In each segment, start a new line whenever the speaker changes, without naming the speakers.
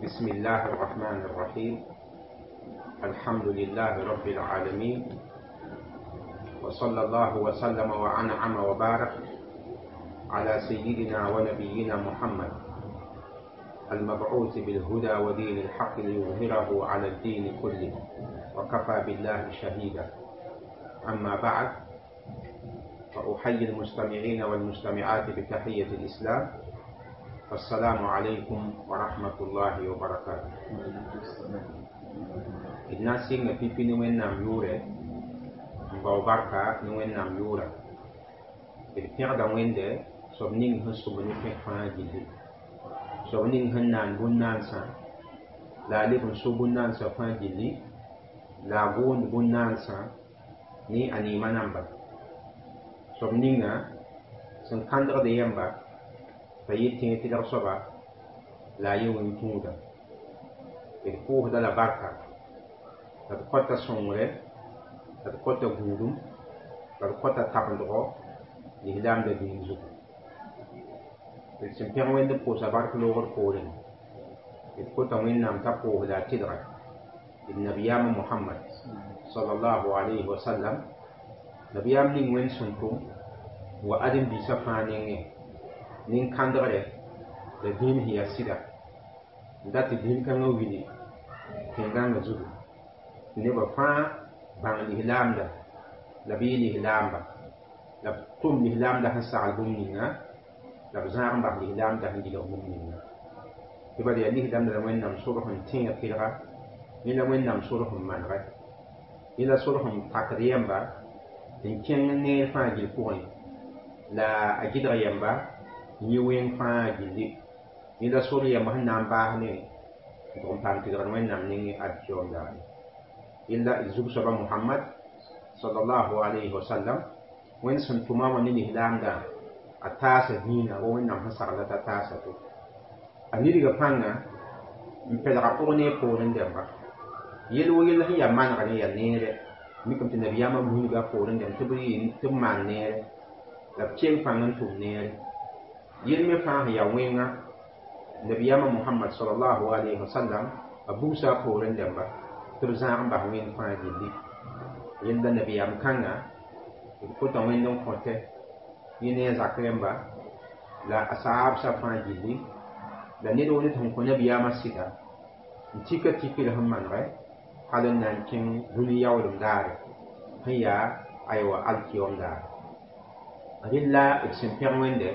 بسم الله الرحمن الرحيم. الحمد لله رب العالمين، وصلى الله وسلم وأنعم وبارك على سيدنا ونبينا محمد المبعوث بالهدى ودين الحق ليظهره على الدين كله، وكفى بالله شهيدا. أما بعد، فأحيي المستمعين والمستمعات بتحية الإسلام، السلام عليكم ورحمة الله وبركاته. D na n sɩnga pipi ne Wẽnnaam yʋʋrɛ, n bao barka ne Wẽnnaam yʋʋra. D pẽgda Wẽnde soab ning sẽn sʋm ne pẽg fãa gilli, soab ning sẽn naan bũn-naansã, la a leb n so bũn-naansã fãa gilli, la a gʋʋnd bũn-naansã ne a neemã namba. Soab ninga sẽn kãndgd yɛmba t'a yɩ tẽeg tɩlg soaba la a yɩ wẽn-tũuda. D pʋʋsda la barka, la d kõta sõngre, la d kõta gũudum, la d kõta tabendgo lislaamda dĩin zugu. D sẽn pẽg Wẽnd n pʋʋsa bark loogr poorẽ, d kota Wẽnnaam t'a pʋʋs la a tɩlga d nabiyaamã Mohamad sallallahu alayhi wa sallam, nabiyaam ning Wẽnd sẽn tʋm n wa ãdem-biisã fãa nengẽ nin-kãndgre la dĩin sẽn yaa sɩda, n dat tɩ dĩin kãngã willi tẽn-gãngã zugu, tɩ nebã fãa bãng lislaamda la b yɩ lislaamba, la b tʋm lislaamda sẽn sagl bũmb ninga, la b zãag n bas lislaamda sẽn gilg bũmb ninga. Tɩ bala yaa lislaamda la Wẽnnaam sorg sẽn tẽeg tɩlga, yẽ la Wẽnnaam sorg sẽn manegɛ, yẽ la sorg sẽn takd yɛmba n kẽng neer fãa gill pʋgẽ, la a gɩdg yɛmba n yɩ wẽng fãa gilli. Yẽ la sor yɛmb sẽn na n baas ne n tʋg n paam tɩlgr Wẽnnaam nengẽ alkiyom daare. Yella d zug-soaba Mohamad sallallahu alayhi wa sallam, Wẽnd sẽn tʋma wã ne lislaamdã, a taasa dĩinã wa Wẽnnaam sẽn sagla t'a taasa to. A nidga pãnga n pɛlga pʋg ne poorẽ dẽmba. Yel wo yell sẽn yaa manegre yaa neere, mikame tɩ nabiyaamã wilga a poorẽ dẽmb tɩ b yɩ tɩ b maan neere, la b keng pãng n tʋm neere. Yel me fãa sẽn yaa wẽnga, nabiyaamã Mohamad sallallahu alayhi wa sallam a bugsa a poorẽ dẽmba tɩ b zãag n bas wẽng fãa gilli. Yella nabiyaam kãnga, d kota Wẽnd n kõtɛ yẽ ne a zak rẽmba la a saabsã fãa gilli, la ned wo ned sẽn kõ nabiyaamã sɩda n tika tikr sẽn manegɛ hal n na n kẽng dũni yaoolem daare sẽn yaa aywa alkiyom daare. Rɩla d sẽn pẽg Wẽnde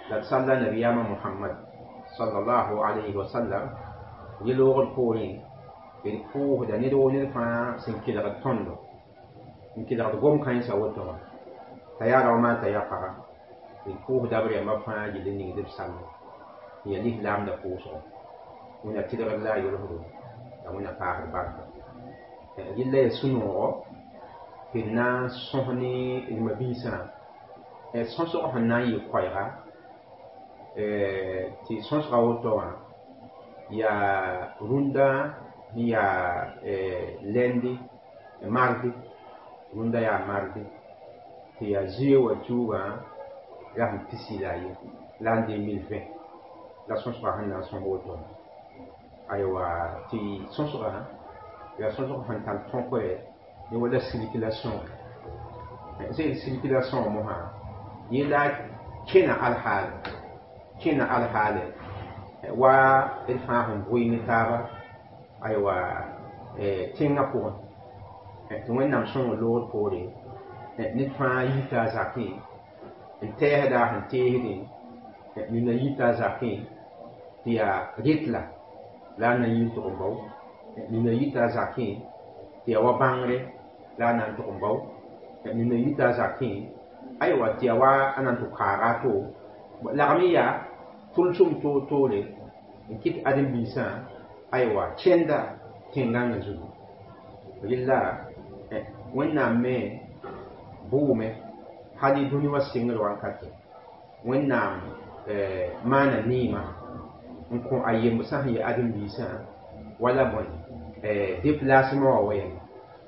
la d salla nabiyaamã Mohamad sallallahu alayhi wa sallam, yẽ loogr poorẽ d pʋʋsda ned wo ned fãa sẽn kelgd tõndo n kelgd gom-kãensã woto wã, t'a yaa rao maa t'a yaa paga. D pʋʋsda b rẽmbã fãa gill n ningd b sall n yaa lislaamda pʋʋsgo. Wẽnna tɩlgd la a yolsdo, la Wẽnna paasd barka. Yella yaa sũ-noogo tɩ d na n sõs ne d ma-biisã sõsg sẽn na n yɩ koɛɛga, tɩ sõsga woto wã yaa rũndã sẽn yaa lundi, mardi, rũndã yaa mardi, tɩ yaa zuee wã tuugã rasem 21 l'an 2020 la sõsga sẽn na n sõs woto wã. Aywa, tɩ sõsga yaa sõsg sẽn tar tõkre ne wala circulation. Sẽn circulation mosã, yẽ la kẽna alhaale, kẽna alhaale wa d fãa sẽn bʋɩ ne taaba aywa tẽngã pʋgẽ, tɩ Wẽnnaam sõng loogr poore ned fãa yita a zakẽ n tɛɛsda a sẽn teesdẽ, nina yita a zakẽ tɩ yaa retla la a na n yɩ n tʋg n bao, nina yita a zakẽ tɩ yaa wa bãngre la a na n tʋg n bao, nina yita a zakẽ aywa tɩ yaa wa a na n tʋg kaaga a to lagm n yaa tʋlsem toor-toore n kɩt ãdem-biisã aywa kẽnda tẽn-gãngã zugu. Rɩla Wẽnnaam me bʋʋme hal y dũni wã sɩngr wankate. Wẽnnaam maana neemã n kõ a yembsã sẽn yaa ãdem-biisã wala bõe déplacement wã wɛɛngẽ,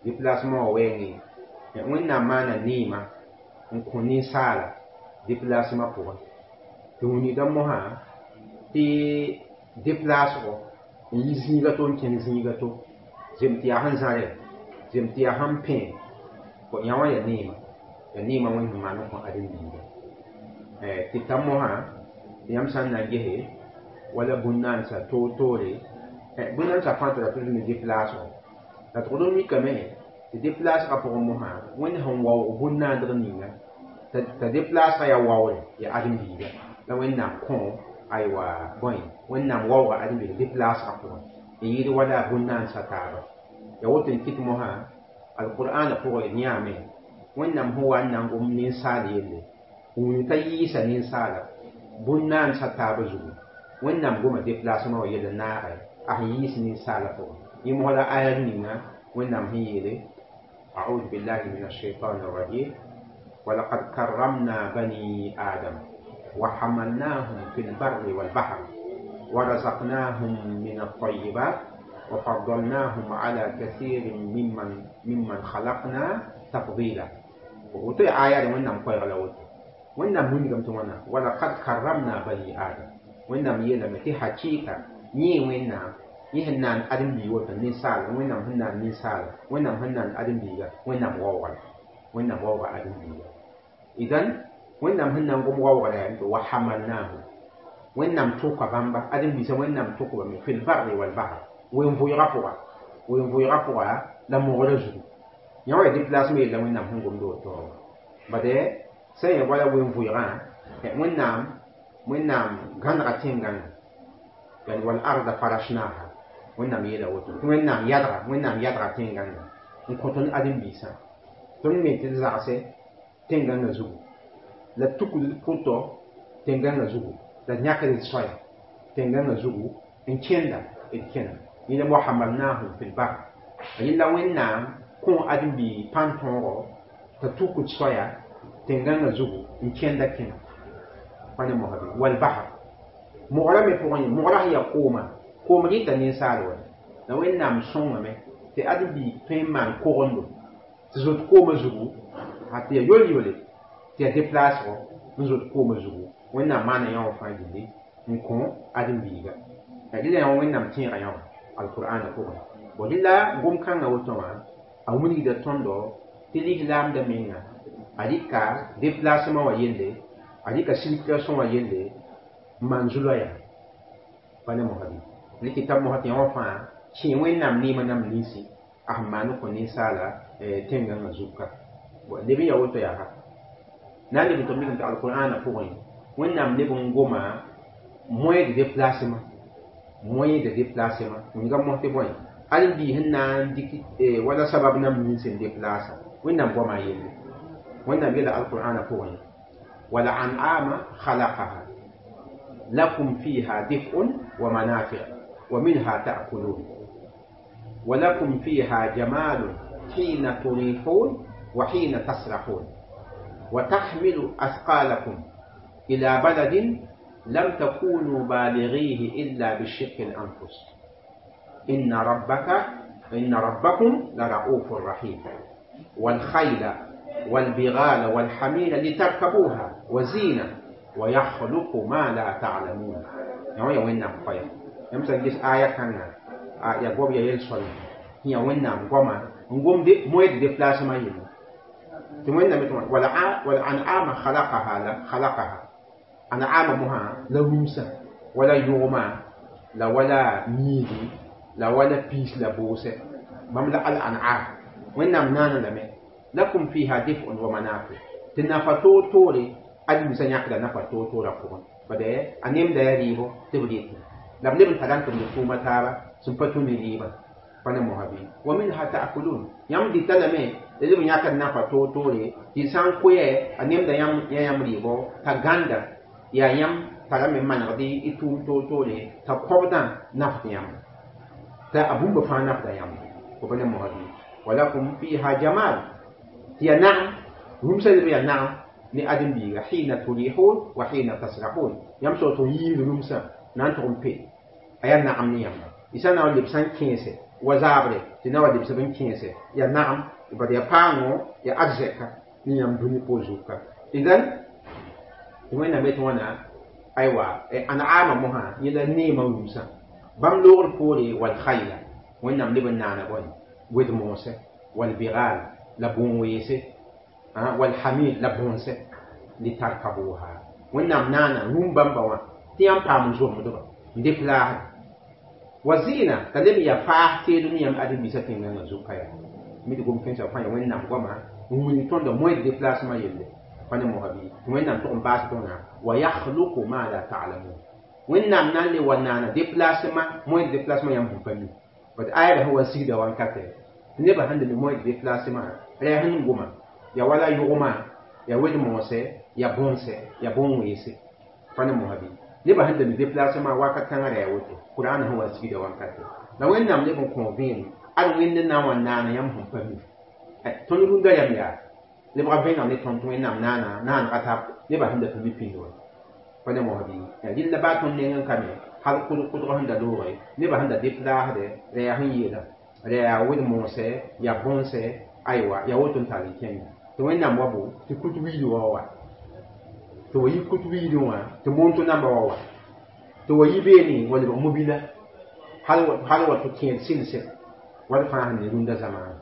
déplacement wã wɛɛngẽ, Wẽnnaam maana neemã n kõ ninsaala déplacement pʋgẽ tɩ wilgda mosã tɩ déplacego N yi zĩiga to n kẽng zĩiga to zem tɩ yaa sẽn zãre zem tɩ yaa sẽn pẽ yã wã ya neema ya neema Wẽnd sẽn maan n kõ ãdem-biiga tɩ ta mosã tɩ yãmb sã n na n gese wala bũn-naandsã toor-toore bũn-naandsã fãa tara tʋls ne deplaasgo la tɩ d mikame tɩ deplaasgã pʋgẽ mosã Wẽnd sẽn waoog bũn-naandg ninga t'a deplaasgã yaa waoore yaa ãdem-biiga la Wẽnnaam kõ aywa bõe Wẽnnaam waooga ãdem-biiga deplaasgã pʋgẽ n yɩɩd wala bũn-naandsã taaba ya woto n kɩt mosã alqur'ana pʋgẽ d yãame Wẽnnaam sẽn wa n na n gom ninsaal yelle wũni t'a yɩɩsa ninsaala bũn-naandsã taaba zugu Wẽnnaam goma déplacement wã yell n naagɛ a sẽn yɩɩs ninsaala pʋgẽ yẽ mosã la aya ninga Wẽnnaam sẽn yeele أعوذ بالله من الشيطان الرجيم ولقد كرمنا بني آدم وحملناهم في البر والبحر ورزقناهم من الطيبات وفضلناهم على كثير ممن خلقنا تفضيلا وتي آية وإنهم قير لوت وإنهم من تمنا ولقد كرمنا بني آدم وإنهم يلم تي حقيقة ني وإنهم يهنان أدم بيوت نسال وإنهم هنان نسال وإنهم هنان أدم بيغا وإنهم واوغل وإنهم واوغل أدم بيغا إذن وإنهم هنان قم واوغل وحملناهم وإنهم توقع بامبا أدم بيسا وإنهم توقع في البر والبحر وين فويغا la mogra zugu yã wa déplacement yella Wẽnnaam sẽn gomd woto bade sã n wala wen vʋɩgã Wẽnnaam gãnega tẽn-gãnga yani wal arda farashnaha Wẽnnaam yeela woto tɩ Wẽnnaam yadga tẽn-gãnga n kõ tõnd ãdem-biisã tõnd me tɩ d zagse tẽn-gãngã zugu la tukd d pʋtɔ tẽn-gãngã zugu la d yãkd d soaya tẽn-gãngã zugu n kẽnda d kẽna yẽla wahamalnahum fi lbar yẽla Wẽnnaam kõ ãdem-bi pãn-tõogo t'a tukd soaya tẽn-gãngã zugu n kẽnda kẽna pa ne mosã bɩ walbahr mogra me pʋgẽ mogra sẽn yaa kooma koom rɩta ninsaal wa la Wẽnnaam sõngame tɩ ãdem-bi tõe n maan kogendo tɩ zot koomã zugu a tɩ yaa yol-yole tɩ yaa deplaasgo n zot koomã zugu Wẽnnaam maana yã wã fãa gilli n kõ ãdem-biiga rɩla yã wã Wẽnnaam tẽega yã wã alqur'ana pʋgẽ bon rɩla gom-kãngã woto wã a wilgda tõndo tɩ lislaamda menga a rɩka déplacement wã yelle a rɩka circulation wã yelle n maan zu-loɛɛga pa ne mosã bɩ rɩkɩ t'a mosã tɩ yã wã fãa kẽ Wẽnnaam neemã nam ninsi a sẽn maan n kõ ninsaala tẽn-gãngã zug ka leb n yaa woto yaa na n leb n tɩ mikame tɩ alqur'ana pʋgẽ Wẽnnaam leb n goma moyen de déplacement wilga mos tɩ bõe ãdem-biis sẽn na n dɩk wala sabab nam nins n déplaasa Wẽnnaam goama yelle Wẽnnaam yeela alqur'ana pʋgẽ wala an'ama khalaqaha lakum fiha dif'un wa manafi' wa minha ta'kulun ولكم فيها جمال حين تريحون وحين تسرحون وتحمل أثقالكم إلى بلد لم تكونوا بالغيه إلا بشق الأنفس إن ربكم لرؤوف رحيم والخيل والبغال والحمير لتركبوها وزينة ويخلق ما لا تعلمون يا وين نام قيا يمسا جيس آية كان يا غوب يا يلسول يا وين نام غوما نغوم دي مويد دي بلاس ما يلي تموين نام ولا أنعام خلقها لا خلقها أنعام مها لا ومسا ولا يوما لا ولا ميدي لا ولا بيس لا بوسة مملا الأنعام وين نام نانا لمي لكم فيها دفء ومنافع تنافتو توري أدي مسا يقدر نفتو تورا فوق بدأ أنيم داريبو تبريت لم نبن تلان تبريتو متابا سنفتو نريبا فانا مهابي ومنها تأكلون يام دي تلمي لازم يقدر نفتو توري تنسان كوي أنيم دا يام يام ريبو تغاندا يا يام تلامي من غدي إتوم تو توري تقوبدا نفت يام تا أبوم بفان نفت يام وفانا مهابي ولكم فيها جمال هي نعم هم سيدي نعم ni adem biiga hina turihun wa hina tasrahun yãmb sao tɩ yiib rũmsã na n tʋg n pe a yaa nagam ne yãmba y sã na n leb sã n kẽese wa zaabre tɩ na wa lebsb n kẽese yaa nagam bad yaa paango yaa arzɛka ne yãmb dũni po zuka idan tɩ Wẽnnaam yetɩ wãna aywa an'aama mosã yẽla neemã rũmsã Bãmb loogr poore wal khayla, Wẽnnaam leb n naana bõe wed-moosẽ, wal bigal la bõn-weese, wal hamir la bõnse, litarkabuha. Wẽnnaam naana rũm bãmba wã tɩ yãmb paam n zomdba n deplaasd wa zɩɩna t'a leb n yaa faas teedem yãmb ãdem-biisã tẽngãngã zʋka yaa mi tɩ gom-kẽnsã fãa ya Wẽnnaam goama n wilg tõndã moyen de déplacement yelle pa ne mosa bɩ tɩ Wẽnnaam tʋg n baas tõna wa yakhluqu ma la ta'lamun. Wẽnnaam na n le wa naana déplacement, moyen de déplacement yãmb sẽn pa mi. Bat ayra sẽn wa sigda wankatɛ tɩ nebã sẽn da mi moyen de déplacement rɛɛ sẽn goma ya wala yʋgmã, ya wed-moosɛ, ya bõnsɛ, ya bõn-weese pa ne mosa bɩ nebã sẽn da mi déplacement wakat kãngã rɛɛ woto Qur'an sẽn wa sigda wankatɛ la Wẽnnaam leb n kõ vẽenem ad Wẽnd na n wa naana yãmb sẽn pa mi. Tõnd rũndã yam yaa lebga vẽeneg ne tõnd tɩ Wẽnnaam naana naanega tab nebã sẽn da pa mi pĩnd wã pa ne mosa bɩ rɩlla baa tõnd neng n ka me hal kʋdg sẽn da looge nebã sẽn da deplaasdɛ rɛɛ sẽn yeela rɛɛ wed-moosɛ ya bõnsɛ aywa ya woto n tall n kẽnda tɩ Wẽnnaam wa bo tɩ kut wiid wa wa tɩ wa yi kut wiidẽ wã tɩ monto namba wa wa tɩ wa yi beene wa lebg mobila hal wa tɩ kẽed sɩlsɛ wad fãa sẽn ne rũndã zamaana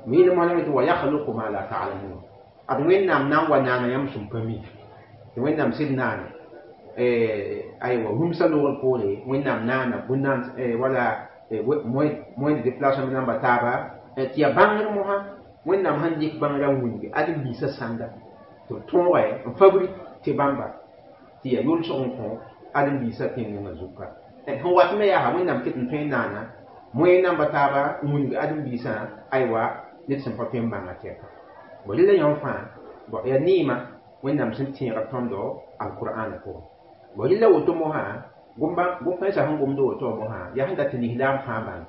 miine moasame tɩ wa yakhluqu ma la ta'lamun. Ad Wẽnnaam na n wa naana yãmb sẽn pa mi tɩ Wẽnnaam sɩd naane aywa rũmsã loogr poore Wẽnnaam naana bũn-naan wala moyen de déplacement namba taaba tɩ ya bãngr mosã Wẽnnaam sẽn dɩk bãngrã n wilgi ãdem-biisã sãnda tɩ b tõoge n fabrik tɩ bãmba tɩ ya yʋlsg n kõ ãdem-biisã tẽngã zuka sẽn wat me yaa Wẽnnaam ket n tõe n naana moyen namba taaba n wilg ãdem-biisã aywa ned sẽn pa tõe n bãnga tɛka bo rela yãmb fãa bo yaa neema Wẽnnaam sẽn tẽega tõndo alqur'ana pʋgẽ bo rela woto mosã gom-kãensã sẽn gomd woto mosã yaa sẽn dat tɩ lislaam fãa bãng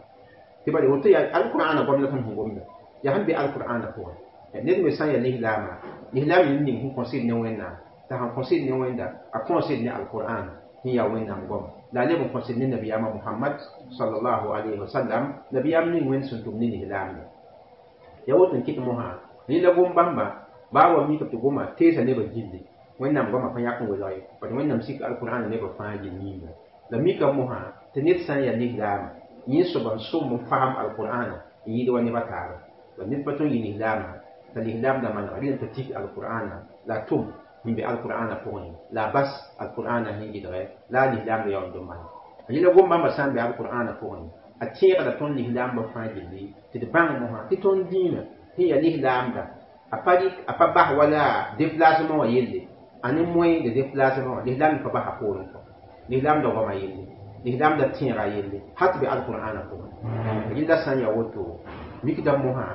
tɩ bala woto yaa alqur'ana goam la tõnd sẽn gomda yaa sẽn be alqur'ana pʋgẽ ned me sã n yaa lislaama lislaam yĩn ning sẽn kõsɩd ne Wẽnnaam t'a sẽn kõsɩd ne Wẽnda a kõsɩd ne alqur'an sẽn yaa Wẽnnaam goam la a leb n kõsɩd ne nabiyaamã Mohamad sallallahu alayhi wa sallam nabiyaam ning Wẽnd sẽn tʋm ne lislaamda ya woto n kɩt mosã rẽla gom bãmba baa wa mika tɩ goma teesa nebã gilli Wẽnnaam goamã pa yãk n welg ye bat Wẽnnaam sik alqur'ana nebã fãa gill yĩnga la mika mosã tɩ ned sã n yaa lislaama yẽ soaba n sʋm n fasem alqur'ana n yɩɩd wa nebã taaba la ned pa tõe n yɩ lislaama t'a lislaamda manega rẽnd t'a tik alqur'ana la a tʋm n be alqur'ana pʋgẽ la a bas alqur'ana sẽn gɩdgɛ la a lislaamda yaoond n maneg rẽla gom bãmba sã n be alqur'ana pʋgẽ a tẽegda tõnd lislaambã fãa gilli tɩ d bãng mosã tɩ tõnd dĩinã sẽn yaa lislaamda a pa rɩk a pa bas wala déplacement wã yelle a ne moyen de déplacement wã lislaam pa basa poorẽ kɔ lislaamda goama yelle lislaamda tẽega yelle hal tɩ be alqur'ana pʋgẽ rẽnda sã n yaa woto mikda mosã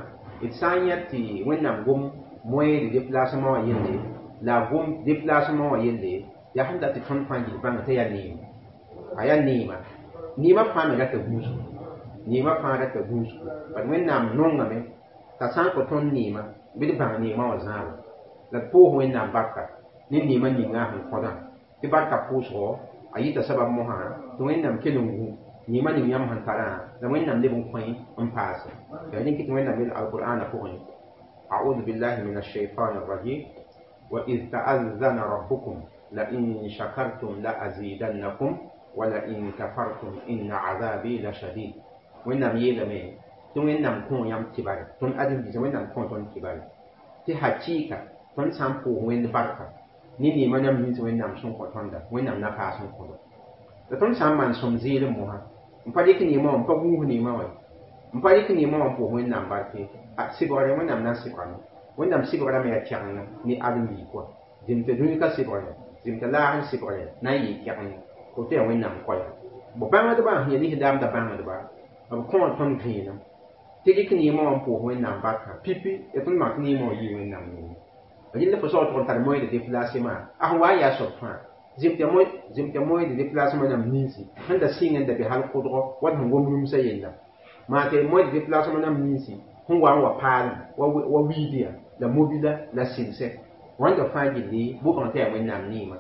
d sã n yã tɩ Wẽnnaam gom moyen de déplacement wã yelle la a gom déplacement wã yelle yaa sẽn dat tɩ tõnd fãa gil bãnga t'a yaa neema a yaa neema neema fãa me rata gũusgu neema fãa rata gũusgu bat Wẽnnaam nongame t'a sã n kõ tõnd neema bɩ d bãng neemã wã zãaba la d pʋʋs Wẽnnaam barka ne neemã ninga sẽn kõdã tɩ barka pʋʋsgo a yɩta sabab mosã tɩ Wẽnnaam kell n gũ neemã ning yãmb sẽn tarã la Wẽnnaam leb n kõ n paase yaa rẽn kɩ tɩ Wẽnnaam yel alqur'ana pʋgẽ أعوذ بالله من الشيطان الرجيم وإذ تأذن ربكم لئن شكرتم لأزيدنكم ولئن كفرتم إن عذابي لشديد Wẽnnaam yeelame tɩ Wẽnnaam kõ yãmb kibare tõnd ãdem-biisã Wẽnnaam kõ tõnd kibare tɩ hakɩɩka tõnd sã n pʋʋs Wẽnd barka ne neemã yãmb nins Wẽnnaam sẽn kõ tõnda Wẽnnaam na paas n kõdo la tõnd sã n maan sõm zɩɩlem mosã n pa rɩk neemã wã n pa gũus neemã wã n pa rɩk neemã wã n pʋʋs Wẽnnaam barke a sɩbgre Wẽnnaam na n sɩbgame Wẽnnaam sɩbgrame yaa kɛgenga ne ãdem-biig kɔa zem tɩ dũni ka sɩbgre zem tɩ laag n sɩbgre na n yɩɩ kɛgeng woto yaa Wẽnnaam koɛɛ bo bãngdbã sẽn yaa lislaamda bãngdba b kõo tõnd vẽenem tɩ rɩk neemã wã n pʋʋs Wẽnnaam barka pipi ya tõnd mak neemã wã yɩɩ Wẽnnaam nengẽ rẽnd fo saoog tʋg n tar moyen de déplacement a sẽn wa n yaa soab fãa zem tɩ moyen de déplacement nam ninsi sẽn da sɩng n da be hal kʋdgɔ wat sẽn gom rũmsã yella maa tɩ moyen de déplacement nam ninsi sẽn wa n wa paalem wa wiidyã la mobila la sɩlsɛ wãnda fãa gilli bʋ-bãng tɩ yaa Wẽnnaam neemã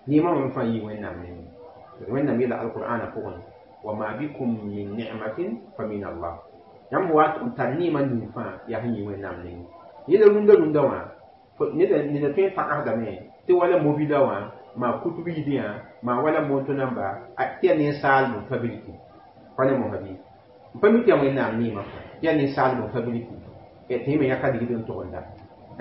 neemã wã fãa yɩ Wẽnnaam nengẽ Wẽnnaam yeela alqur'ana pʋgẽ wa ma bikum min ni'matin fa min Allah yãmb wa n tar neemã ning fãa yaa sẽn yɩ Wẽnnaam nengẽ yẽla rũndã rũndã wã neda tõe n pagãsdame tɩ wala mobila wã maa kut wiidẽ maa wala moto namba tɩ yaa ninsaal n fabriki Pa ne mosã bɩ n pa mi tɩ yaa Wẽnnaam neemã yaa ninsaalb n fabriki tɩ yẽ me yãka ligd n tog n da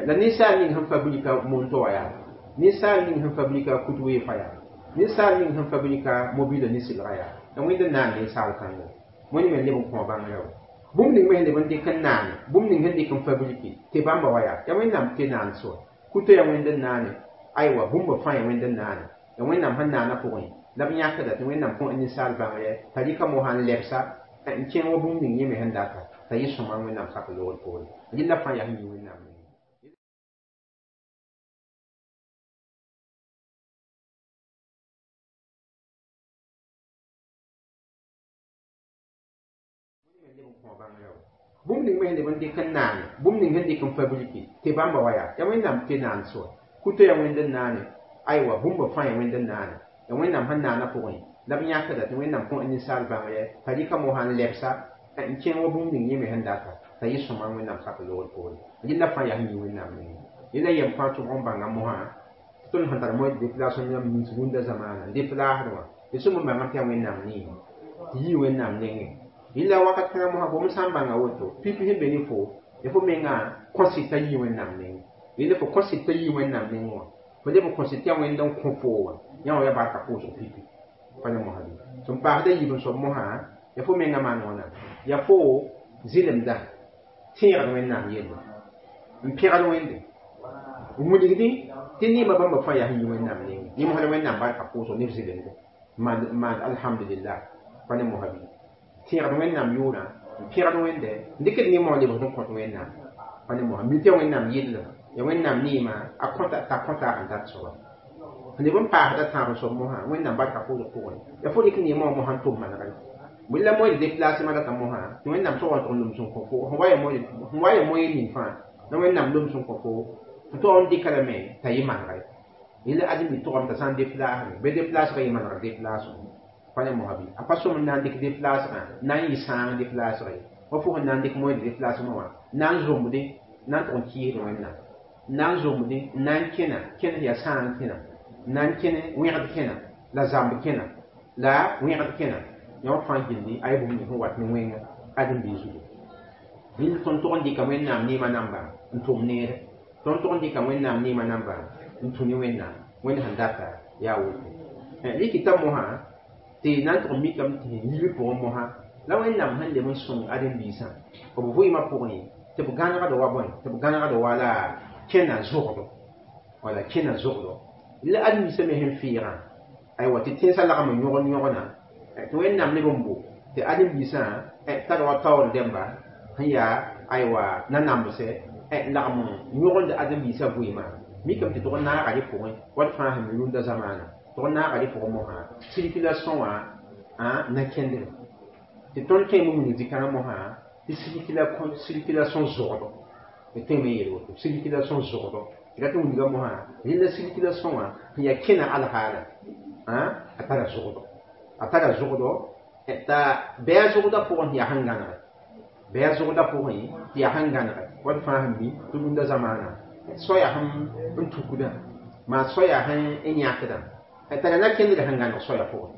la ninsaal ning sẽn fabrika monto wã yaa ninsaal ning sẽn fabrika kut weefã yaa ninsaal ning sẽn fabrika mobila ne sɩlga yaa la Wẽnd n naan ninsaal kãngo wẽnd me leb n kõ bãngrã wa bũmb ning me sẽn leb n dɩk n naane bũmb ning sẽn dɩk n fabriki tɩ bãmba wa yaa yaa Wẽnnaam tɩ naan soa kuto yaa Wẽnd n naane aywa bũmba fãa yaa Wẽnd n naane ya Wẽnnaam sẽn naana pʋgẽ la b yãkda tɩ Wẽnnaam kõ ninsaal bãngre t'a rɩka mosã n lebsa n kẽng wa bũmb ning yẽ me sẽn data t'a yɩ sõma Wẽnnaam sak loogr poore rɩla fãa yaa sẽn yi Wẽnnaam nengẽ. Bũmb ning me sẽn leb n dɩk n naane bũmb ning sẽn dɩk n fabriki tɩ bãmba wa yaa yaa Wẽnnaam tɩ naan soa kuto yaa Wẽnd n naane aywa bũmba fãa yaa Wẽnd n naane ya Wẽnnaam sẽn naana pʋgẽ la b yãkda tɩ Wẽnnaam kõ ninsaal bãngre t'a rɩka mosã n lebsa n kẽng wa bũmb ning yẽ me sẽn data t'a yɩ sõma Wẽnnaam sak loogr poore rɩla fãa yaa sẽn yi Wẽnnaam nengẽ rɩla yɛm fãa tʋg n bãnga mosã tɩ tõnd sẽn tar moẽ déplacement yãmb nins rũndã zamaana déplaasd wã d sũm n bãngame tɩ yaa Wẽnnaam neema tɩ yii Wẽnnaam nengẽ rɩla wakat kãngã mosã gom sã n bãnga woto pipi sẽn be ne fo ya fo mengã kõsɩd t'a yii Wẽnnaam nengẽ rɩla fo kõsɩd t'a yii Wẽnnaam nengẽ wã fo leb n kõsɩd tɩ yaa Wẽnd n kõ foo wã yã wã yaa barka pʋʋsg pipi pa ne mosã bɩ sẽn paasda yiib n soab mosã ya fo mengã maan wãna ya fo zɩlemda tẽegd Wẽnnaam yelle n pẽgd Wẽnde n wilgdẽ tɩ neemã bãmba fãa yaa sẽn yi Wẽnnaam nengẽ yẽ mosã la Wẽnnaam barka pʋʋsg ne f zɩlemde n maand alhamdulillah pa ne mosã bɩ tẽegd Wẽnnaam yʋʋrã n pẽgd Wẽnde n dɩkd neemã wã lebsd n kõt Wẽnnaam pa ne mosã mi tɩ yaa Wẽnnaam yellem ya Wẽnnaam neemã a kõta t'a kõta n dat soaba leb n paasda tãab n soab mosã Wẽnnaam barka pʋʋsg pʋgẽ ya fo rɩk neemã wã mosã n tʋm manegre la moẽ de déplacement data mosã tɩ Wẽnnaam soab n tʋg n loms n kõ fo sẽn wa ya moyen ning fãa la Wẽnnaam loms n kõ fo tɩ tog n dɩka lame t'a yɩ manegre yẽla ãdem-bi tʋgame t'a sã n déplaasme bɩ déplaasgã yɩ manegr déplacement pa ne mosã bɩ a pa sõm n na n dɩk déplaasgã na n yɩ sãang déplaasg ye wa fo sẽn na n dɩk moyen de déplacement wã na n zombdẽ na n tʋg n kɩɩsd Wẽnnaam na n zombdẽ na n kẽna kẽnes yaa sãang kẽna na n kẽne wẽgd kẽna la zamb kẽna la wẽgd kẽna yã wã fãa gilli a yaa bũmb ning sẽn wat ne wẽnga ãdem-biig zugu rẽnd tõnd tʋg n dɩka Wẽnnaam neemã namba n tʋm neere tõnd tʋg n dɩka Wẽnnaam neemã namba n tũ ne Wẽnnaam Wẽnd sẽn data yaa woto rɩkɩta mosã tɩ na n tʋg n mikame tɩ sẽn yiib pʋgẽ mosã la Wẽnnaam sẽn leb n sõng ãdem-biisã b vɩɩmã pʋgẽ tɩ b gãnegd wa bõe tɩ b gãnegd wa la kẽna zogdo wala kẽna zogdo la ãdem-biisã me sẽn feegã aywa tɩ tẽnsã lagm n yõgd yõgna tɩ Wẽnnaam leb n bo tɩ ãdem-biisã tar wa taoor dẽmba sẽn yaa aywa nanambsɛ lagm n yõgend ãdem-biisã vɩɩmã mikame tɩ tʋg n naaga rẽ pʋgẽ wat fãa sẽn mi rũndã zamaana tʋg n naaga rẽ pʋgẽ mosã circulation wã na kẽndre tɩ tõnd tõeme n wilg zĩ-kãngã mosã tɩ circulation zogdo tɩ tõeme n yeel woto circulation zogdo tɩ rat n wilga mosã rẽnda circulation wã sẽn yaa kẽna alhaala a tara zogdo a tara zogdo t'a bɩ a zogdã pʋgẽ tɩ yaa sẽn gãnege bɩ a zogdã pʋgẽ tɩ yaa sẽn gãnege wat fãa sẽn mi tɩ rũndã zamaana soaya sẽn n tukdã maa soaya sẽn yãkdã tara na kẽndre sẽn gãneg soaya pʋgẽ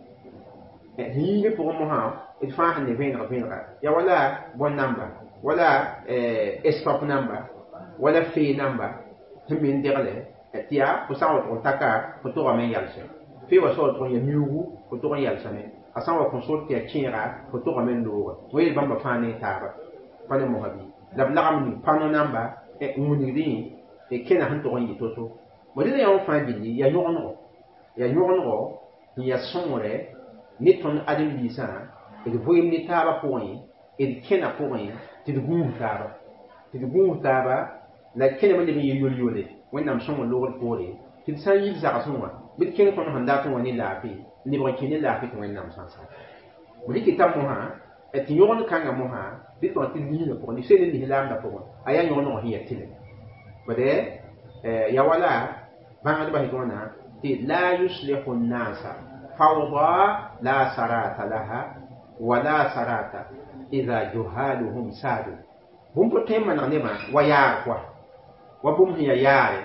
sẽn yiigẽ pʋgẽ mosã d fãa sẽn ne vẽeneg vẽenega yaa wala bõn namba wala stop namba wala fee namba sẽn me n degle tɩ yaa fo sã n wa tʋg n taka fo togame n yalsẽ fee wa soab tʋg n ya miuugu fo tog n yalsame a sã n wa kõ sor tɩ yaa kẽega fo togame n looga wa yel bãmba fãa ne taaba pa ne mosã bɩ la b lagem ning pano namba n wilgdẽ kẽna sẽn tog n yɩ to-to bõ rẽla yã wã fãa gilli yaa yõgenego yaa yõgenego n yaa sõngre ne tõnd ãdem-biisã d vɩɩm ne taabã pʋgẽ d kẽna pʋgẽ tɩ d gũus taaba tɩ d gũus taaba la kẽname leb n yɩ yol-yole Wẽnnaam sõng loogr poore tɩ d sã n yil zagsẽ wã bɩ d kẽng tõnd sẽn dat n wa ne laafɩ n lebg n kẽ ne laafɩ tɩ Wẽnnaam sã n sa rɩkɩta mosã tɩ yõgend kãngã mosã bɩ tɩ tɩ liisã pʋgẽ sel n lislaamdã pʋgẽ a yaa yõgenego sẽn yaa tɩlem bade ya wala bãngdbã sẽn wãna tɩ la yuslihu nnasa fawda la sarata laha wala sarata idha juhaluhum saadu bũmb pa tõe n maneg nebã wa yaar koa wa bũmb sẽn yaa yaare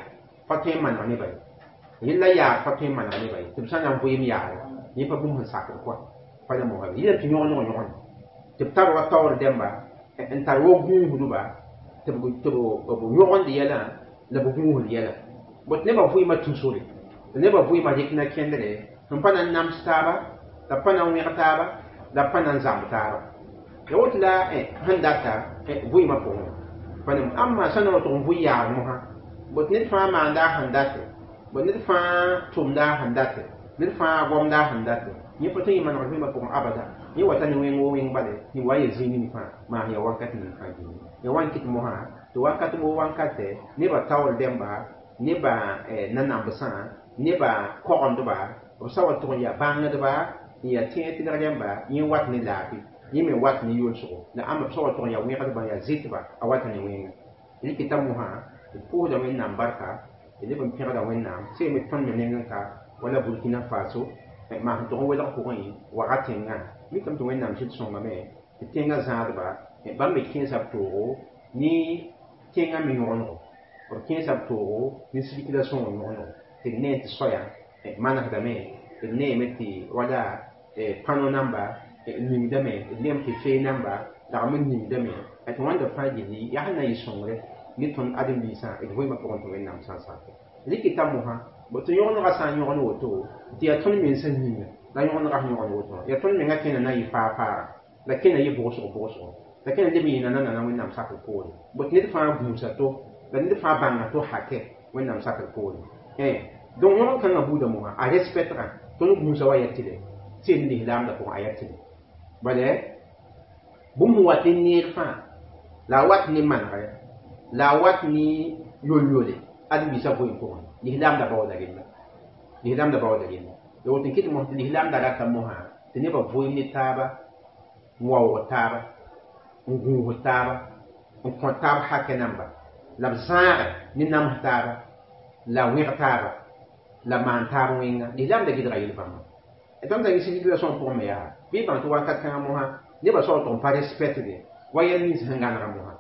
pa tõe n maneg nebã ye yella yaar pa tõe n maneg nebã ye tɩ b sã na n vɩɩm yaare yẽ pa bũmb sẽn sakd koa Pa ne mosã yɩla tɩ yõgd yõg yõgend tɩ b tar wa taoor dẽmba n tar wa gũusdba tɩ b yõgend yɛlã la b gũusd yɛlã. Bot nebã vɩɩmã tũ sore, la nebã vɩɩmã rɩk na kẽndre sẽn pa na n nams taaba, la b pa na n wẽg taaba, la b pa na n zãmb taaba. Ya woto la sẽn data vɩɩmã pʋgẽ pa nem ãmba sã na wa tʋg n vʋ yaar mosã. Bot ned fãa maanda a sẽn date, bot ned fãa tʋmda a sẽn date, ned fãa gomda a sẽn date. Yẽ pa tõe n manegd vɩɩmã pʋgẽ abada. Yẽ wata ne wẽng wo wẽng bale, yẽ wa n ya zĩig ning fãa maan ya wakat ning fãa gilli. Ya wa n kɩt mosã tɩ wakat woo wankatɛ nebã taoor dẽmba, nebã nanambsã, nebã kogendba, b sa wa tʋg n yaa bãngdba n yaa tẽeg tɩlg rẽmba. Yẽ wat ne laafɩ, yẽ me wat ne yolsgo, la ãmba b sa wa tʋg n yaa wẽgdba n yaa zɩtba, a wata ne wẽnga. Rɩkɩta mosã d pʋʋsda Wẽnnaam barka, d leb n pẽgda Wẽnnaam seeme tõnd me neng n ka wala Burkina Faso maan sẽn tʋg n welg pʋgẽ waga tẽngã. Mikame tɩ Wẽnnaam sɩd sõngame tɩ tẽngã zãadba bãmb me kẽesa b toogo ne tẽngã me yõgenego, b kẽesa b toogo ne circulation yõgenego, tɩ d nee tɩ soaya manesdame, d neeme tɩ wala pano namba ningdame, d neeme tɩ fee namba lagm n ningdame tɩ wãnda fãa gilli yaa sẽn na n yɩ sõngre ne tõnd ãdem-biisã d vɩɩmã pʋgẽ tɩ Wẽnnaam sã n sak rɩkɩta mosã. Bo tɩ yõgenegã sã n yõgen woto, tɩ yaa tõnd mensã yĩnga la yõgenegã sẽn yõgen woto, yaa tõnd menga kẽna na n yɩ faa-faaga, la kẽna yɩ bʋgsg bʋgsgo, la kẽna leb n yɩ nanana Wẽnnaam sakr poore. Bot ned fãa gũusa to, la ned fãa bãnga to hakɛ Wẽnnaam sakr poore. Donc yõgen kãngã buudã mosã a respectga tõnd gũusa wa ya tɩlɛ seen lislaamdã pʋgẽ a ya tɩlɛ. Bala bũmb sẽn wat ne neer fãa, la a wat ne manegre, la a wat ne yol-yole ãdem-biisã vɩɩm pʋgẽ, lislaamdã baooda rella, lislaamdã baooda rella. La woto n kɩt mos tɩ lislaamdã rata mosã tɩ nebã vɩɩm ne taaba, n waoog taaba, n gũus taaba, n kõ taab hakɛ namba, la b zãagɛ ne nams taaba, la wẽg taaba, la maan taab wẽnga. Lislaamdã gɩdga yel-bãmba. Tõnd sã n circulation pʋgẽ me yaa bɩ bãng tɩ wakat kãngã mosã nebã sao tʋg n pa respectde wa yɛl nins sẽn gãnega mosã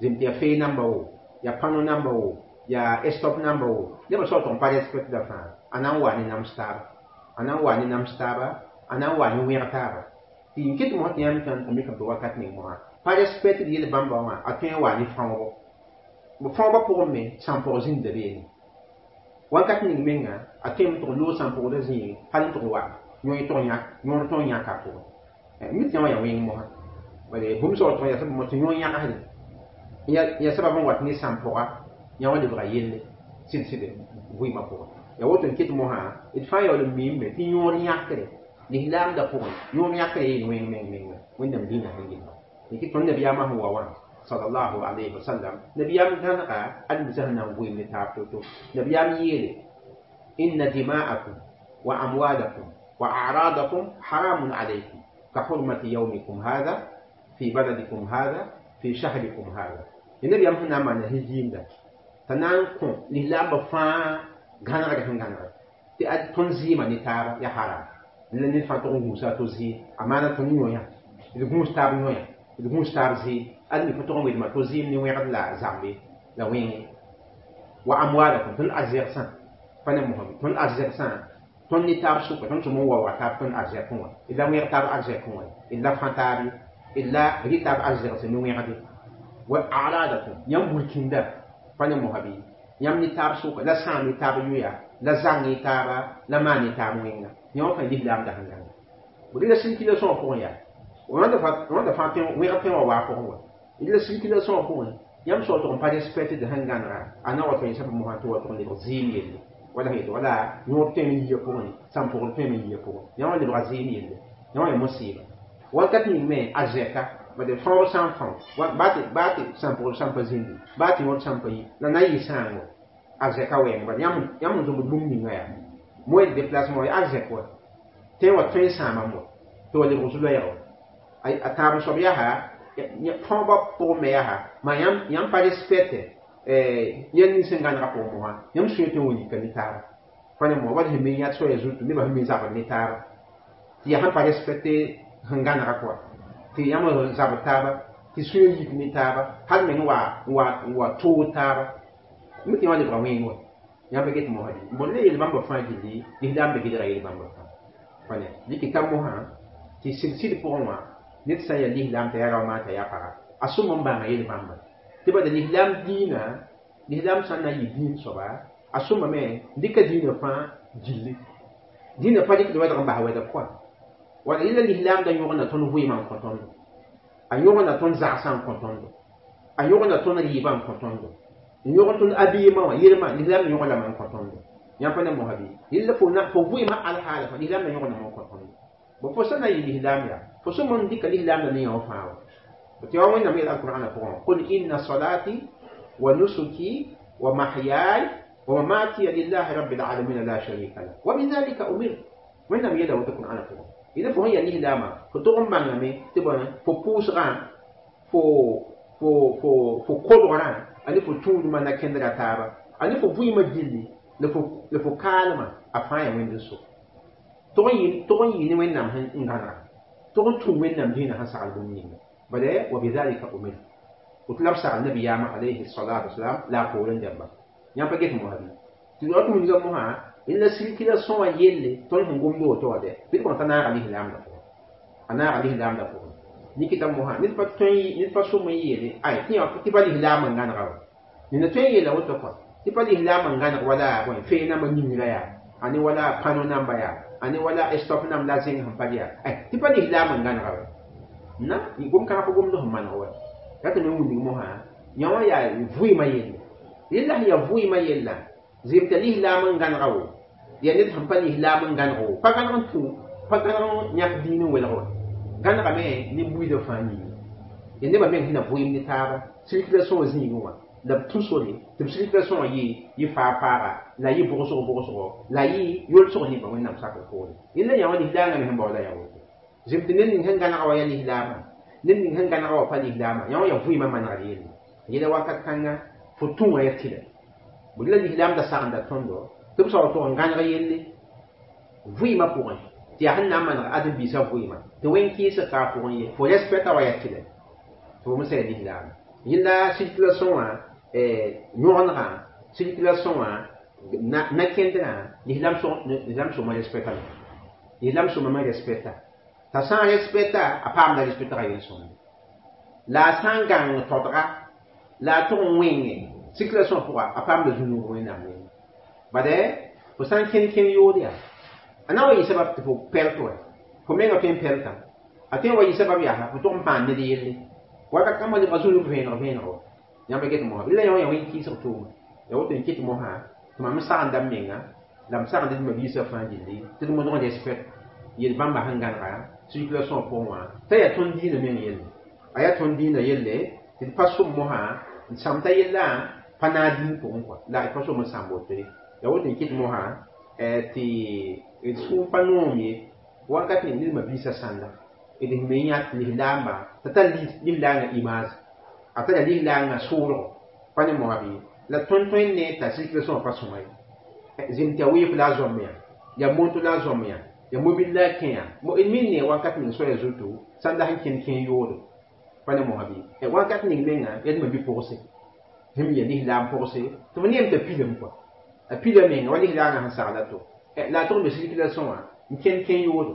zem tɩ yaa fee namba wo, yaa pano namba wo, yaa stop namba wo, nebã sao tʋg n pa respectda fãa. A na n waa ne nams taaba, a na n waa ne nams taaba, a na n waa ne wẽg taaba. Tɩ n kɩt mosã tɩ yãmb tãn mikame tɩ wakat ning mosã pa respectd yel-bãmba wã, a tõe n waa ne fãoogo. Fãoogã pʋgẽ me sãn-pʋg zĩnda beene wakat ning menga a tõeme tɩg loog sãn-pʋgda zĩig hal n tʋg wa yõ tʋg yãk yõor tõog yãka pʋgẽ mi tɩ yã wã yaa wẽng mosã. Bala bũmb sã wa tʋg yaa tɩ yõ yãgsde yaa sabab n wat ne sãn-pʋga yã wã lebga yelle sɩd-sɩd vɩɩmã pʋgẽ. Yaa woto n kɩt mosã d fãa yaool n miime tɩ yõor yãkre lislaamdã pʋgẽ, yõor yãkre yeel wẽng meng menga Wẽnnaam dĩinã sẽn gilga. Tɩ tõnd nabiyaamã sẽn wa wã sallallahu alayhi wa sallam, nabiyaam gãnega ãdem-biisã sẽn na n vɩɩm ne taab to-to. Nabiyaam yeele: inna dima'akum wa amwalakum wa a'radakum haramun alaykum ka hurmati yawmikum hadha fi baladikum hadha fi shahrikum hadha. Nabiyaam sẽn na n maana sẽn zĩinda t'a na n kõ lislaambã fãa gãnegr sẽn gãnegr tɩ ad tõnd zɩɩmã ne taaba ya haram la ned fãa tʋg n gũusa a to zɩɩm a maana tõnd yõ-yã, d gũus taab yõ-yã, d gũus taab zɩɩm ad mi fo tʋg n welma to zɩɩm ne wẽgd la zambe la wẽnge. Wa amwalakum, tõnd arzɛgsã pa ne mosame, tõnd arzɛgsã tõnd ne taab sʋka, tõnd sẽm n waooga taab tõnd arzɛkẽ wã, d la wẽg taab arzɛkẽ wã, d la fã taab ye, d la rɩ taab arzɛgse ne wẽgde. Wa a'radakum, yãmb burkĩnda pa ne mosa bɩ yãmb ne taab sʋka, la sãam ne taab yoya, la zãng ne taaba, la maan ne taab wẽnga. Yã wã fãa lislaamda sẽn gãnga. La circulation pʋgẽ yaa wãnda fãa wẽg tõe wa waa pʋgẽ wa la circulation pʋgẽ yãmb sao tʋg n pa respectd sẽn gãnega a na wa tõe sab mosã tɩ wa tʋg n lebg zɩɩm yelle wala sẽn yetɩ wala yõod tõeme n yia pʋgẽ, sãn-pʋgd tõeme n yia pʋgẽ, yã wã lebga zɩɩm yelle, yã wã ya musiba. Wakat ning me a zɛka bad fãoog sã n fão baa tɩ sãn-pʋgd sã n pa zĩndi, baa tɩ yõod sã n pa yi, la na n yɩ sãango a zɛka wɛɛng. Bala yãmb n zũmd bũmb ninga yaa moyen de déplacement ya a zɛk wa tẽ wa tõe n sãamam wa tɩ wa lebg zu-loɛɛg a tãab soab yaa fãoobã pʋgẽ me yaa maa yãmb pa respecte yɛl nins sẽn gãnega pʋgẽ mosã, yãmb sũyã tõe n wa yika ne taaba pa ne mo wala sẽn me yãt soaya zutu nebã sẽn me zabd ne taaba tɩ yaa sẽn pa respecte sẽn gãnega kɔa tɩ yãmb zabd taaba, tɩ sũyã yik ne taaba, hal meng wa toog taaba mi tɩ yã wa lebga wẽng wa yãmb pa get mosã bõn le yel-bãmbã fãa gilli lislaam be gɩdga yel-bãmbã fãa pa ne dɩkɩ ka mosã. Tɩ sɩd-sɩd pʋgẽ wã ned sã n yaa lislaam t'a yaa rao t'a yaa paga a sõm n bãnga yel-bãmba tɩ bala lislaam dĩinã lislaam sã n na n yɩ dĩin soaba a sõmame n dɩka dĩinã fãa gilli dĩinã pa dɩkd wɛdg n bas wɛdg pʋgã wala yẽla lislaam da yõgna tõnd vɩɩmã n kõ tõndo a yõgna tõnd zagsã n kõ tõndo a yõgna tõnd rɩɩbã n kõ tõndo n yõgn tõnd abiimã wã yelmã lislaam da yõg lame n kõ tõndo yãmb pa ne mosã bɩ yella fo vɩɩmã alhaala fã lislaam da yõgname n kõ tõndo bõ fo sã na n yɩ lislaam yaa fo sõm n dɩka lislaam da ne yã wã fãa wa tɩ wa wẽnnaam yeel alqur'ana pʋgẽ qul inna salati wa nusuki wa mahyaay wa mamati lillahi rabbil alamin la sharika lah wa bidhalika umirtu wẽnnaam yeela woto qur'ana pʋgẽ yẽla fo sẽn yaa lislaamã fo tog n bãngame tɩ bõe fo pʋʋsgã fo kodgrã a ne fo tũudmã na kẽndra taaba a ne fo vɩɩmã gilli la fo kaalmã a fãa yaa wẽnd n so tog n yɩ ne wẽnnaam n gãnega tog n tũ wẽnnaam dĩinã sẽn sagl bũmb ninga bala wa bidhalika umirtu woto la b sagl nabiyaamã alayhi salatu wasalam la a poorẽ dẽmba yãmb pa get mosã bɩ tɩ wat wilga mosã la circulation wã yelle tõnd sẽn gomd woto wã dɛ bɩ d kõn t'a naaga lislaamdã pʋgẽ a naaga lislaamdã pʋgẽ nikita mosã ned pa tõe ned pa sõm n yeele ay tɩ pa lislaam n gãnega wa ned tõe n yeela woto kɔa tɩ pa lislaam n gãneg wala bõe fee nambã yĩngrã yaa ane wala pano namba yaa ane wala stop nam la zẽng sẽn pa yaa ay tɩ pa lislaam n gãnega wa na gom kãga pa gomd sẽn maneg wa rat me wilg mosã yã wã yaa vɩɩmã yelle yella sẽn yaa vɩɩmã yella zem t'a lislaam n gãnega wo yaa ned sẽn pa lislaam n gãneg wo pa gãneg n tũ pa gãneg n yãk dĩin n welg wa gãnegame ne buiidã fãa yĩnga ya nebã meng sẽn na vɩɩm ne taaba circulation zĩigẽ wã la b tũ sore tɩ b circulation wã yɩ faa-faaga la yɩ bʋgsg-bʋgsgo la yɩ yolsg nebã wẽnnaam sakr poore yella yã wã lislaangã me sẽn baooda yaa woto zem tɩ ned ning sẽn gãnega wa yaa lislaamã ned ning sẽn gãnega wa pa lislaamã yã wã yaa vɩɩmã manegr yelle yela wakat kãnga fo tũ wã yaa tɩlɛ bõe la lislaam da sagenda tõndo tɩ b sao tʋg n gãneg yelle vɩɩmã pʋgẽ tɩ yaa sẽn na n maneg ãdem-biisã vɩɩmã tɩ wẽn-kɩɩsg ka a pʋgẽ ye fo respecta wa yaa tɩlɛ tɩ fo me sã yaa lislaamã yella circulation wã yõgendgã circulation wã na-kẽndrã lislaam sõma respectame lislaam sõma me respecta t'a sã n respecta a paamda respectga yel-sõmde la a sã n gãng todga la a tʋg n wẽnge circulation pʋga a paamda zũnug wẽnnaam nengẽ bade fo sã n kẽnd kẽn yood yaa a na wa yɩ sabab tɩ fo pɛlt wa fo menga tõe n pɛltã a tõe n wa yɩ sabab yaa fo tʋg n pãan ned yelle wakat kãmbã lebga zũnug vẽeneg vẽeneg wa yãmb get mosã la yã wã yaa wẽn-kɩɩsg tʋʋma ya woto n kɩt mosã tɩ mam sagenda m menga la m sagend d mabiisã fãa gilli tɩ d modg respect yel-bãmba sẽn gãnega circulation pʋgẽ wã t'a yaa tõnd dĩinã meng yelle a yaa tõnd dĩinã yelle tɩ d pa sʋm mosã n sãm t'a yellã pa naag dĩin pʋgẽ kɔa la d pa sʋm n sãmb woto ye ya woto n kɩt mosã tɩ d sũur pa noom ye wakat ning ned mabiisã sãnda d me yã lislaamba t'a tar lislaangã image a tara lislaangã sʋʋlgo pa ne mosã bɩ la tõnd tõe n ne t'a circulation pa sõma ye zem tɩ a weef la a zoam yã yaa moto la a zoam yã yaa mobil la a kẽ yã d min ne wakat ning soaya zutu sãnda sẽn kẽnd kẽen yoodo pa ne mosã bɩ wakat ning menga yaa d mabi-pʋgse sẽn ya lislaam pʋgse tɩ f neem t'a pilem kɔa a pila menga wa lislaangã sẽn sagla to la a tʋg me circulation wã n kẽnd kẽen yoodo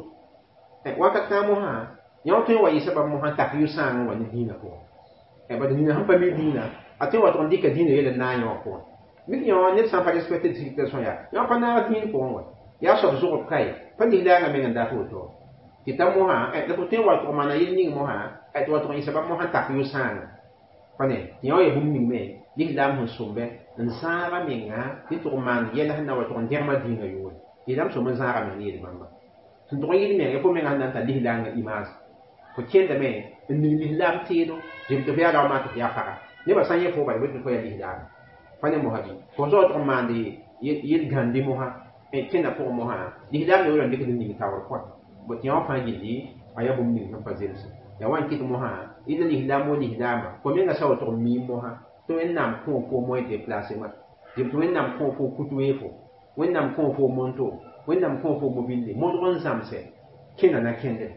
wakat kãng mosã yã wã tõe n wa yɩ sabab mosã tak yʋ-sãang wa ne dĩinã pʋgẽ bad nina sẽn pa mi dĩinã a tõe n wa tʋg n dɩka dĩinã yel n naag yã wã pʋgẽ mik yã wã ned sã n pa respecte circulation yaa yã wã pa naag dĩin pʋgẽ wa yaa soab zʋgb ka ye pa lislaangã meng n dat woto tɩ t'a mosã la fo tõe n wa tʋg maana yel ning mosã tɩ wa tʋg n yɩ sabab mosã tak yʋ-sãanga pa ne tɩ yã wã yaa bũmb ning me lislaam sẽn sõmbe n zãaga menga tɩ tʋg maan yɛl sẽn na wa tʋg n dẽgma dĩinã yʋʋre lislaam sõm n zãaga meng ne yel-bãmba sẽn tʋg n yɩl menga fo menga sẽn na n tar lislaangã image fo kẽndame n ning lislaam teedo zem tɩ fo yaa rao maa tɩ fo yaa paga nebã sã n yẽ fo bala bɩ tɩ fo yaa lislaam pa ne mosã bɩ fo zao tʋg n maande yel-gãndi mosã kẽnda pʋgẽ mosã lislaam ne wala n dɩkd n ning taoor pʋgã bõ tɩ yã wã fãa gilli a yaa bũmb ning sẽn pa zemse yaa wa n kɩt mosã ila lislaam wa lislaamã fo menga sa wa tʋg n miim mosã tɩ wẽnnaam kõ fo moyen déplacement zem tɩ wẽnnaam kõ fo kut weefo wẽnnaam kõ fo monto wẽnnaam kõ fo mobile modg n zãmsɛ kẽna na kẽndre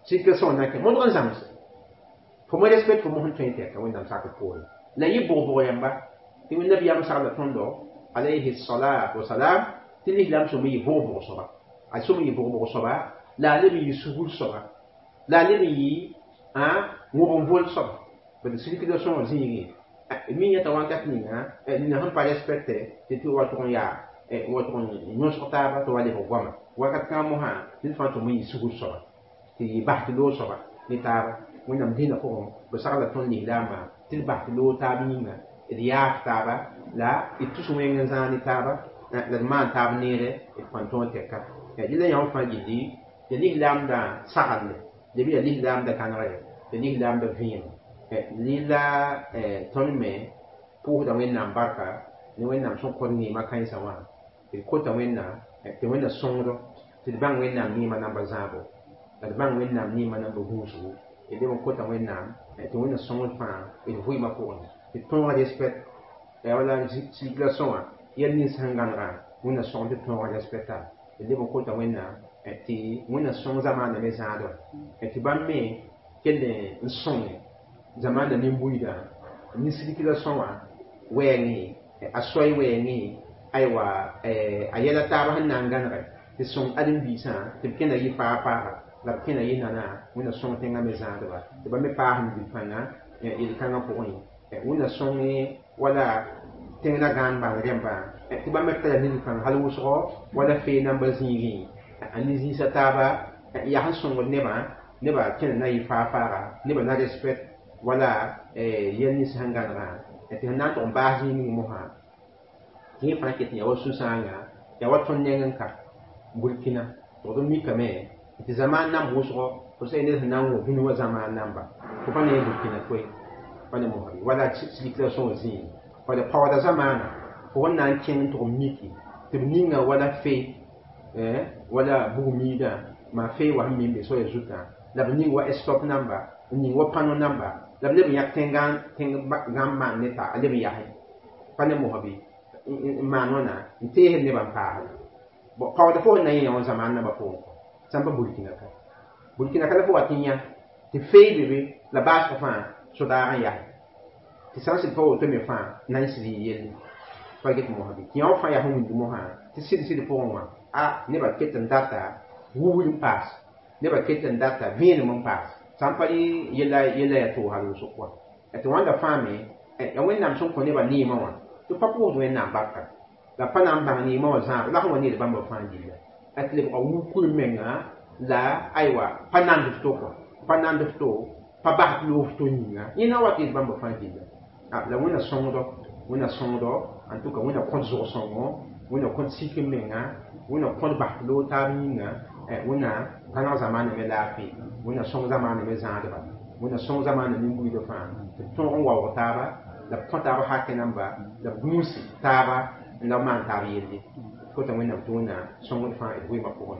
circulation na kẽ modg n zãmsɛ fo mo respect fo mos n tõe tɛka wẽnnaam sakr poore la yɩ bʋg-bʋg yãmba tɩ nabiyaam sagla tõndo alayhi salatu wasalam tɩ lislaam sõm yɩ bʋg-bʋg soaba a sõm yɩ bʋg-bʋg soaba la a leb n yɩ sugr soaba La a leb n yɩ wõg n vol soaba bad sirkda sõor zĩigẽ mi yẽta wakat ninga nina sẽn pa respecte tɩ tɩ wa tʋg n yaa wa tʋg n yõsg taaba tɩ wa lebg goama wakat kãngã mosã ned fãa tʋm n yɩ sugr soaba tɩ yɩ bas tɩ loog soaba ne taaba. Wẽnnaam dĩinã pʋgẽ b sagla tõnd lislaambã tɩ d bas tɩ loog taab yĩnga d yaaf taaba la d tus wẽng n zãag ne taaba la d maan taab neere d kõn tõog tɛka. Dɩla yãmb fãa gilli ya lislaamdã saglde lebɩ ya lislaamdã kãnegre ya lislaamdã vẽem lila tõnd me pʋʋsda Wẽnnaam barka ne Wẽnnaam sẽn kõt neemã kãensã wã d kota Wẽnnaam tɩ Wẽnna sõngdo tɩ d bãng Wẽnnaam neemã namba zãabo la d bãng Wẽnnaam neemã namba gũusgo d leb n kota Wẽnnaam tɩ Wẽnna sõngd fãa d vɩɩmã pʋgẽ tɩ tõoga respect wala circulation wã yɛl nins sẽn gãnegã Wẽnna sõng tɩ tõoga respecta d leb n kota Wẽnnaam tɩ Wẽnna sõng zamaana me zãadba tɩ bãmb me kell n sõnge zamaana nin-buiidã ne circulation wã wɛɛngẽ a soay wɛɛngẽ aywa a yɛla taaba sẽn na n gãnege tɩ sõng ãdem-biisã tɩ b kẽna yɩ faa faaga la b kẽna yɩ nana Wẽnna sõng tẽngã me zãadba tɩ ba me paas n bil-pãnga yel-kãngã pʋgẽ Wẽnna sõnge wala tẽng la gãan bãng rẽmbã tɩ bãmb me tara nil-pãng hal wʋsgo wala fee namba zĩigẽ a ne zĩisã taaba yaa sẽn sõngd nebã nebã kẽna na yɩ faa faaga nebã na respect wala yɛl nins sẽn gãnegã tɩ sẽn na n tʋg n baas zĩig ning mosã tɩ yẽ fãa ket n yaa wa sũ-sãanga yaa wa tõnd neng n ka Burkina tɩ d mikame tɩ zamaan namb wʋsgo fo sã ned sẽn na n wõ dũni wã zamaan namba fo pa ne Burkina koe pa ne mosã wala circulation wã zĩig wala paooda zamaana fo sẽn na n kẽng n tʋg n miki tɩ b ninga wala fe wala bug-miidã maa fee wa sẽn mi n be soaya zutã la b ning wa stop namba n ning wa pano namba la b leb n yãk tẽng maan ne ta a leb n yase pa ne mosã bɩ n maan wãna n teesd nebã n paasda bon paood fo sẽn na n yẽ wã zamaan namba pʋgẽ kɔ sãn pa Burkina ka Burkina ka la fo wat n yã tɩ fee be be la baasg fãa sodaag n yase tɩ sã n sɩd pa woto me fãa na n sɩd yɩ yelle pa get mosã bɩ tɩ yã wã fãa yaa sẽn wĩnd mosã tɩ sɩd sɩd pʋgẽ wã a nebã ket n data wubr n paas nebã ket n data vẽenem n paas sã n pa rɩ yɛla yaa toog hal wʋsg kɔa tɩ wãnda fãa me ya Wẽnnaam sẽn kõ nebã neemã wã tɩ pa pʋʋsd Wẽnnaam barka la pa na n bãng neemã wã zãab la sẽn wa need bãmba fãa gilla tɩ lebga wub kur menga la aywa pa nand f to kɔ pa nand f to pa bas tɩ loog f to yĩnga yẽ na wa tɩ yet bãmba fãa gilla la Wẽnna sõngdo Wẽnna sõngdo en tout cas Wẽnna kõt zʋg-sõngo Wẽnna kõt sik n menga Wẽnna kõt bas tɩ loog taab yĩnga Wẽnna gãneg zamaana me laafɩ Wẽnna sõng zamaana me zãadba Wẽnna sõng zamaana nin-buiidã fãa tɩ b tõog n waoog taaba la b kõ taab hakẽ namba la b gũus taaba n la b maan taab yelle kota Wẽnnaam tɩ Wẽnna sõngd fãa d vɩɩmã pʋgẽ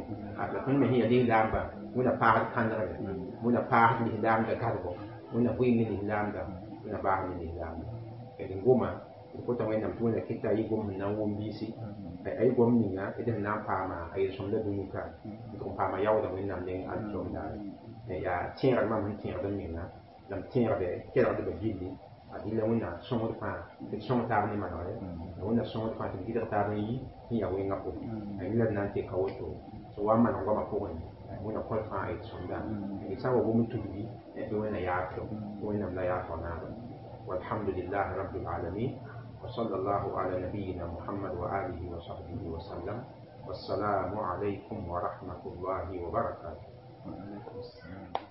la tõnd me sẽn yaa lislaamba Wẽnna paasd kãnegre Wẽnna paasd lislaamda gadgo Wẽnna vɩɩm ne lislaamda Wẽnna baas ne lislaamda d n goma d kota Wẽnnaam tɩ Wẽnna kɩta a yɩ gom sẽn na n wʋm biisi a yɩ gom ninga d sẽn na n paama a yel-sõmda dũni ka n tʋg n paama yaooda Wẽnnaam neng alkiom daare yaa tẽegd mam sẽn tẽegd n menga la m tẽegde kelgdbã gilli a dɩla Wẽnna sõngd fãa tɩ d sõng taab ne manegre la Wẽnna sõngd fãa tɩ d gɩdg taab n yi sẽn yaa wẽngã pʋgẽ a yĩla d na n teka woto sẽn wa n maneg goamã pʋgẽ Wẽnna kõt fãa a yel-sõmda d sã n wa gom n tudgi bɩ Wẽnna yaab tɩ Wẽnnaam la yaab naaba walhamdulillahi rabbil alamin وصلى الله على نبينا محمد وآله وصحبه وسلم والسلام عليكم ورحمة الله وبركاته.
وعليكم السلام.